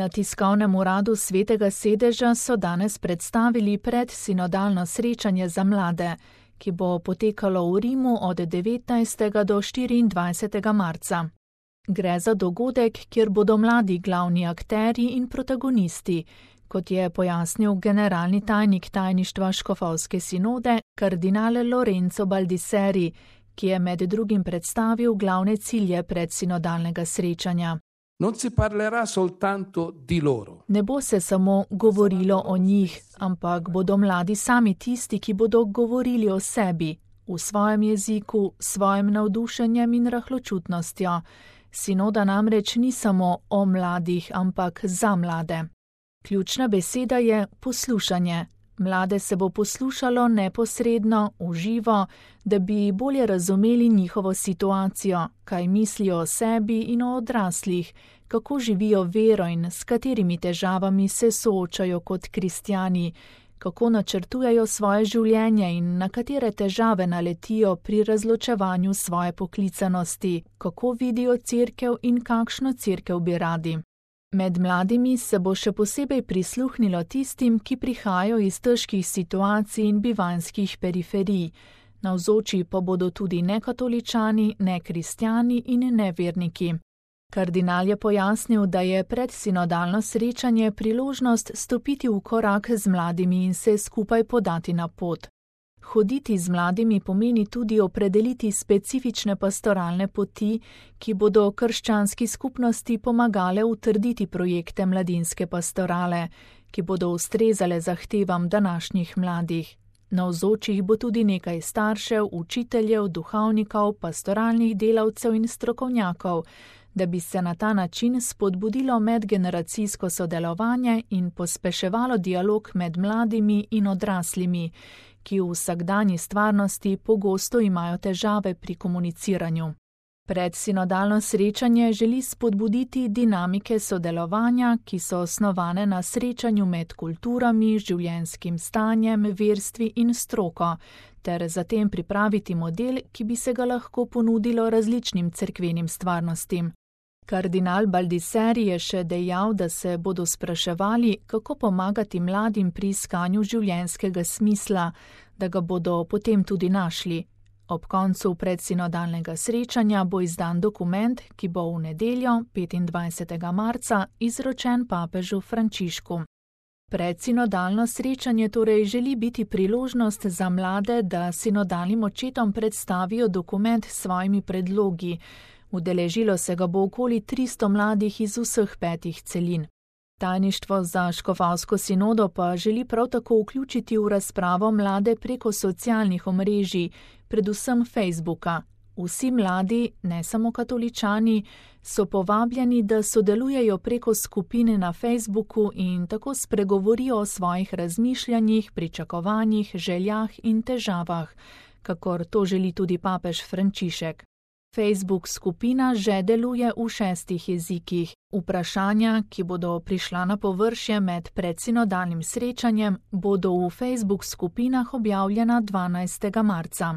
Na tiskovnem uradu Svetega sedeža so danes predstavili predsinodalno srečanje za mlade, ki bo potekalo v Rimu od 19. do 24. marca. Gre za dogodek, kjer bodo mladi glavni akterji in protagonisti, kot je pojasnil generalni tajnik tajništva Škofovske sinode, kardinal Lorenzo Baldisseri, ki je med drugim predstavil glavne cilje predsinodalnega srečanja. Non si parlerà soltanto di loro. Ne bo se samo govorilo o njih, ampak bodo mladi sami tisti, ki bodo govorili o sebi, v svojem jeziku, svojim navdušenjem in rahločutnostjo. Sinoda namreč ni samo o mladih, ampak za mlade. Ključna beseda je poslušanje. Mlade se bo poslušalo neposredno, v živo, da bi bolje razumeli njihovo situacijo, kaj mislijo o sebi in o odraslih, kako živijo vero in s katerimi težavami se soočajo kot kristjani, kako načrtujejo svoje življenje in na katere težave naletijo pri razločevanju svoje poklicanosti, kako vidijo cerkev in kakšno cerkev bi radi. Med mladimi se bo še posebej prisluhnilo tistim, ki prihajajo iz težkih situacij in bivanjskih periferij. Navzoči pa bodo tudi nekatoličani, nekristjani in neverniki. Kardinal je pojasnil, da je predsinodalno srečanje priložnost stopiti v korak z mladimi in se skupaj podati na pot. Hoditi z mladimi pomeni tudi opredeliti specifične pastoralne poti, ki bodo krščanski skupnosti pomagale utrditi projekte mladinske pastorale, ki bodo ustrezale zahtevam današnjih mladih. Navzočih bo tudi nekaj staršev, učiteljev, duhovnikov, pastoralnih delavcev in strokovnjakov, da bi se na ta način spodbudilo medgeneracijsko sodelovanje in pospeševalo dialog med mladimi in odraslimi, ki v vsakdanji stvarnosti pogosto imajo težave pri komuniciranju. Predsinodalno srečanje želi spodbuditi dinamike sodelovanja, ki so osnovane na srečanju med kulturami, življenjskim stanjem, verstvi in stroko, ter zatem pripraviti model, ki bi se ga lahko ponudilo različnim cerkvenim stvarnostim. Kardinal Baldisseri je še dejal, da se bodo spraševali, kako pomagati mladim pri iskanju življenjskega smisla, da ga bodo potem tudi našli. Ob koncu predsinodalnega srečanja bo izdan dokument, ki bo v nedeljo, 25. marca, izročen papežu Frančišku. Predsinodalno srečanje torej želi biti priložnost za mlade, da sinodalnim očetom predstavijo dokument s svojimi predlogi. Udeležilo se ga bo okoli 300 mladih iz vseh 5 celin. Tajništvo za Škofovsko sinodo pa želi prav tako vključiti v razpravo mlade preko socialnih omrežij, predvsem Facebooka. Vsi mladi, ne samo katoličani, so povabljeni, da sodelujejo preko skupine na Facebooku in tako spregovorijo o svojih razmišljanjih, pričakovanjih, željah in težavah, kakor to želi tudi papež Frančišek. Facebook skupina že deluje v 6 jezikih. Vprašanja, ki bodo prišla na površje med predsinodalnim srečanjem, bodo v Facebook skupinah objavljena 12. marca.